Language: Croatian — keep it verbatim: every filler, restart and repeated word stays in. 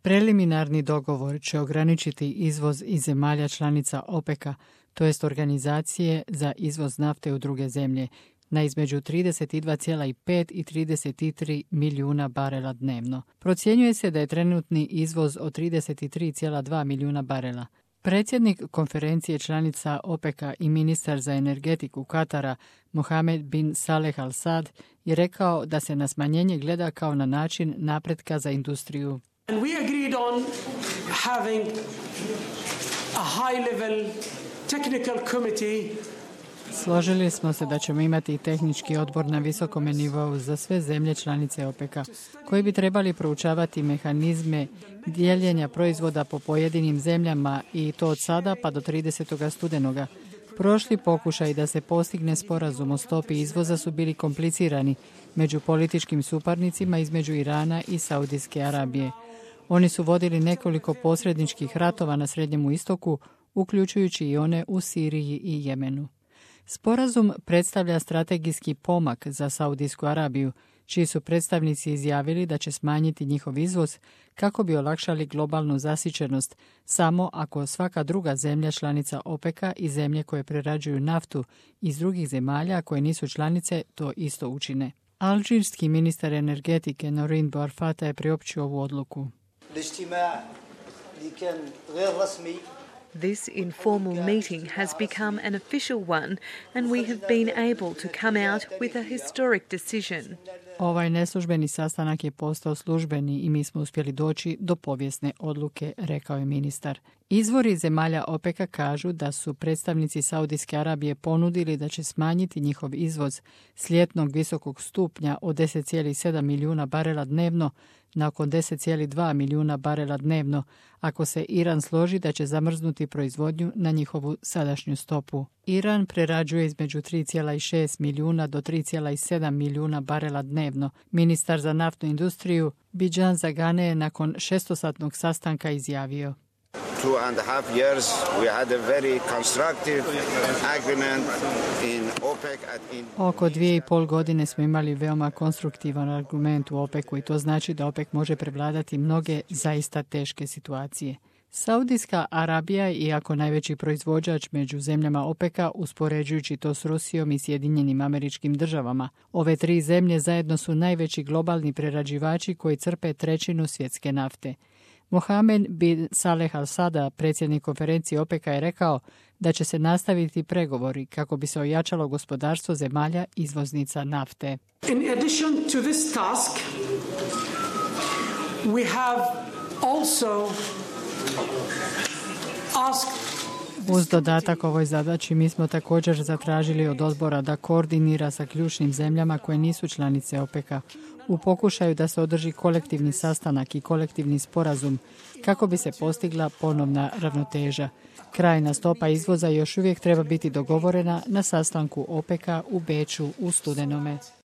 Preliminarni dogovor će ograničiti izvoz iz zemalja članica OPEC-a, to jest Organizacije za izvoz nafte u druge zemlje, na između trideset dva zarez pet i trideset tri milijuna barela dnevno. Procjenjuje se da je trenutni izvoz od trideset tri zarez dva milijuna barela. Predsjednik konferencije članica OPEC-a i ministar za energetiku Katara, Mohamed bin Saleh Al Saad, je rekao da se na smanjenje gleda kao na način napretka za industriju. And we agreed on having a high-level technical committee. Složili smo se da ćemo imati tehnički odbor na visokom nivou za sve zemlje članice OPEC-a, koji bi trebali proučavati mehanizme dijeljenja proizvoda po pojedinim zemljama i to od sada pa do tridesetog studenoga. Prošli pokušaj da se postigne sporazum o stopi izvoza su bili komplicirani među političkim suparnicima između Irana i Saudijske Arabije. Oni su vodili nekoliko posredničkih ratova na Srednjemu istoku, uključujući i one u Siriji i Jemenu. Sporazum predstavlja strategijski pomak za Saudijsku Arabiju, čiji su predstavnici izjavili da će smanjiti njihov izvoz kako bi olakšali globalnu zasićenost, samo ako svaka druga zemlja članica OPEC-a i zemlje koje prerađuju naftu iz drugih zemalja koje nisu članice to isto učine. Alžirski ministar energetike Norin Bouarfata je priopćio ovu odluku. This informal meeting has become an official one, and we have been able to come out with a historic decision. Ovaj neslužbeni sastanak je postao službeni i mi smo uspjeli doći do povijesne odluke, rekao je ministar. Izvori zemalja OPEC-a kažu da su predstavnici Saudijske Arabije ponudili da će smanjiti njihov izvoz s ljetnog visokog stupnja od deset zarez sedam milijuna barela dnevno na oko deset zarez dva milijuna barela dnevno, ako se Iran složi da će zamrznuti proizvodnju na njihovu sadašnju stopu. Iran prerađuje između tri zarez šest milijuna do tri zarez sedam milijuna barela dnevno. Ministar za naftnu industriju Bijan Zagane je nakon šestosatnog sastanka izjavio: Two and a half years we had a very constructive agreement in OPEC at in Oko dvije i pol godine smo imali veoma konstruktivan argument u OPEC-u i to znači da OPEC može prevladati mnoge zaista teške situacije. Saudijska Arabija, iako najveći proizvođač među zemljama OPEC-a, uspoređujući to s Rusijom i Sjedinjenim Američkim Državama, ove tri zemlje zajedno su najveći globalni prerađivači koji crpe trećinu svjetske nafte. Mohamed bin Saleh Al Saad, predsjednik konferencije OPEC-a, je rekao da će se nastaviti pregovori kako bi se ojačalo gospodarstvo zemalja izvoznica nafte. In addition to this task, we have also asked Uz dodatak ovoj zadaći mi smo također zatražili od odbora da koordinira sa ključnim zemljama koje nisu članice OPEC-a u pokušaju da se održi kolektivni sastanak i kolektivni sporazum kako bi se postigla ponovna ravnoteža. Krajna stopa izvoza još uvijek treba biti dogovorena na sastanku OPEC-a u Beču u studenome.